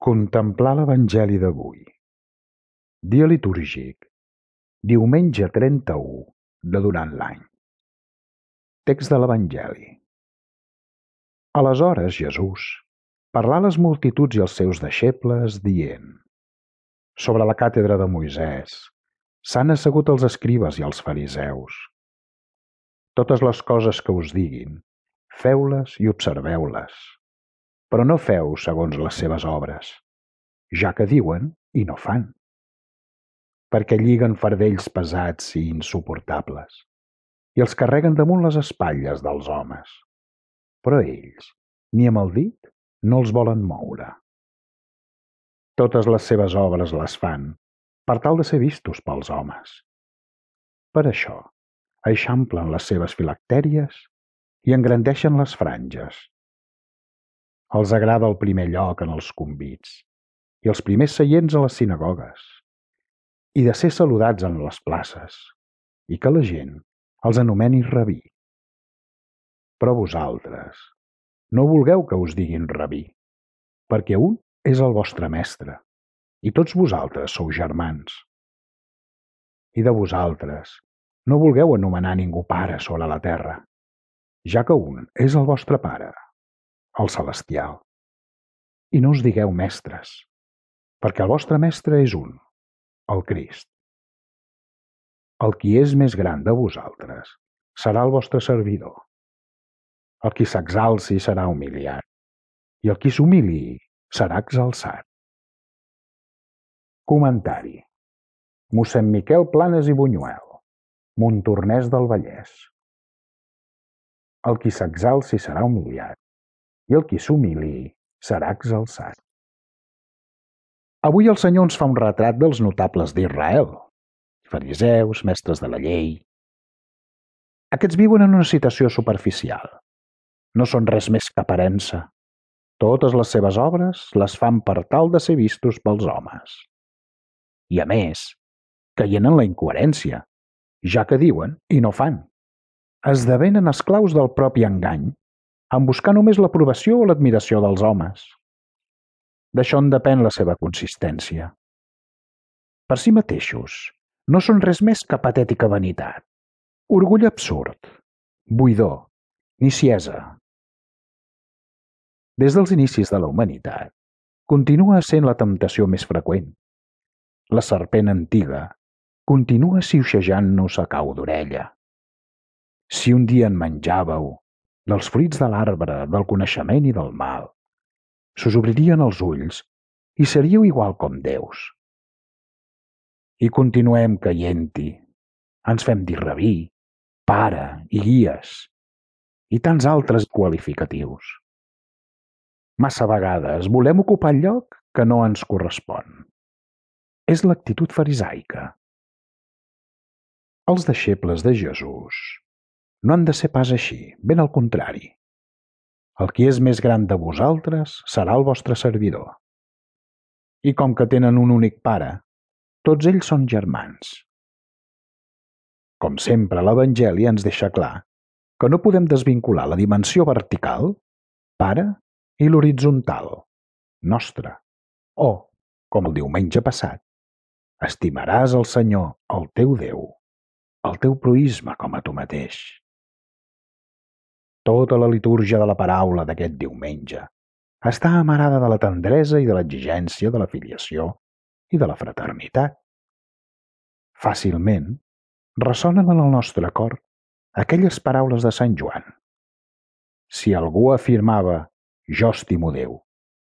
Contemplar l'Evangeli d'avui. Dia litúrgic. Diumenge 31 de durant l'any. Text de l'Evangeli. Aleshores Jesús parlà a les multituds i als seus deixebles, dient: Sobre la càtedra de Moisès s'han assegut els escribes i els fariseus. Totes les coses que us diguin, feu-les i observeu-les, però no feu segons les seves obres, ja que diuen i no fan, perquè lliguen fardells pesats i insuportables i els carreguen damunt les espatlles dels homes, però ells, ni amb el dit, no els volen moure. Totes les seves obres les fan per tal de ser vistos pels homes. Per això, eixamplen les seves filactèries i engrandeixen les franges. Els agrada el primer lloc en els convits i els primers seients a les sinagogues, i de ser saludats en les places, i que la gent els anomeni rabí. Però vosaltres no vulgueu que us diguin rabí, perquè un és el vostre mestre, i tots vosaltres sou germans. I de vosaltres no vulgueu anomenar ningú pare sobre la terra, ja que un és el vostre Pare, el celestial. I no us digueu mestres, perquè el vostre mestre és un, el Crist. El qui és més gran de vosaltres serà el vostre servidor. El qui s'exalci serà humiliat, i el qui s'humiliï serà exalçat. Comentari. Mossèn Miquel Planes i Buñuel, Montornès del Vallès. El qui s'exalci serà humiliat, i el qui s'humiliï serà exalçat. Avui el Senyor ens fa un retrat dels notables d'Israel, fariseus, mestres de la llei. Aquests viuen en una situació superficial. No són res més que aparença. Totes les seves obres les fan per tal de ser vistos pels homes. I a més, caient en la incoherència, ja que diuen i no fan. Esdevenen esclaus del propi engany, en buscar només l'aprovació o l'admiració dels homes. D'això en depèn la seva consistència. Per si mateixos, no són res més que patètica vanitat, orgull absurd, buidor, niciesa. Des dels inicis de la humanitat, continua sent la temptació més freqüent. La serpent antiga continua siuxejant-nos a cau d'orella. Si un dia en menjàveu dels fruits de l'arbre del coneixement i del mal, s'us obririen els ulls i seríeu igual com déus. I continuem caient-hi. Ens fem dir rabí, pare i guies, i tants altres qualificatius. Massa vegades volem ocupar el lloc que no ens correspon. És l'actitud farisaica. Els deixebles de Jesús no han de ser pas així, ben al contrari. El qui és més gran de vosaltres serà el vostre servidor. I com que tenen un únic pare, tots ells són germans. Com sempre, l'Evangeli ens deixa clar que no podem desvincular la dimensió vertical, pare, i l'horitzontal, nostre. O, com el diumenge passat, estimaràs el Senyor, el teu Déu, el teu proïsme com a tu mateix. Tota la litúrgia de la paraula d'aquest diumenge està amarada de la tendresa i de l'exigència de la filiació i de la fraternitat. Fàcilment ressonen en el nostre cor aquelles paraules de Sant Joan. Si algú afirmava «Jo estimo Déu»,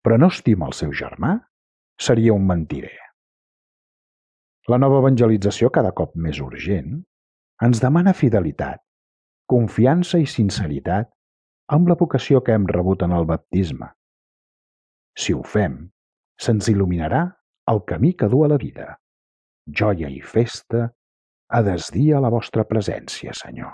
però no estima el seu germà, seria un mentider. La nova evangelització, cada cop més urgent, ens demana fidelitat, confiança i sinceritat amb la vocació que hem rebut en el baptisme. Si ho fem, se'ns il·luminarà el camí que du a la vida. Joia i festa a desdir a la vostra presència, Senyor.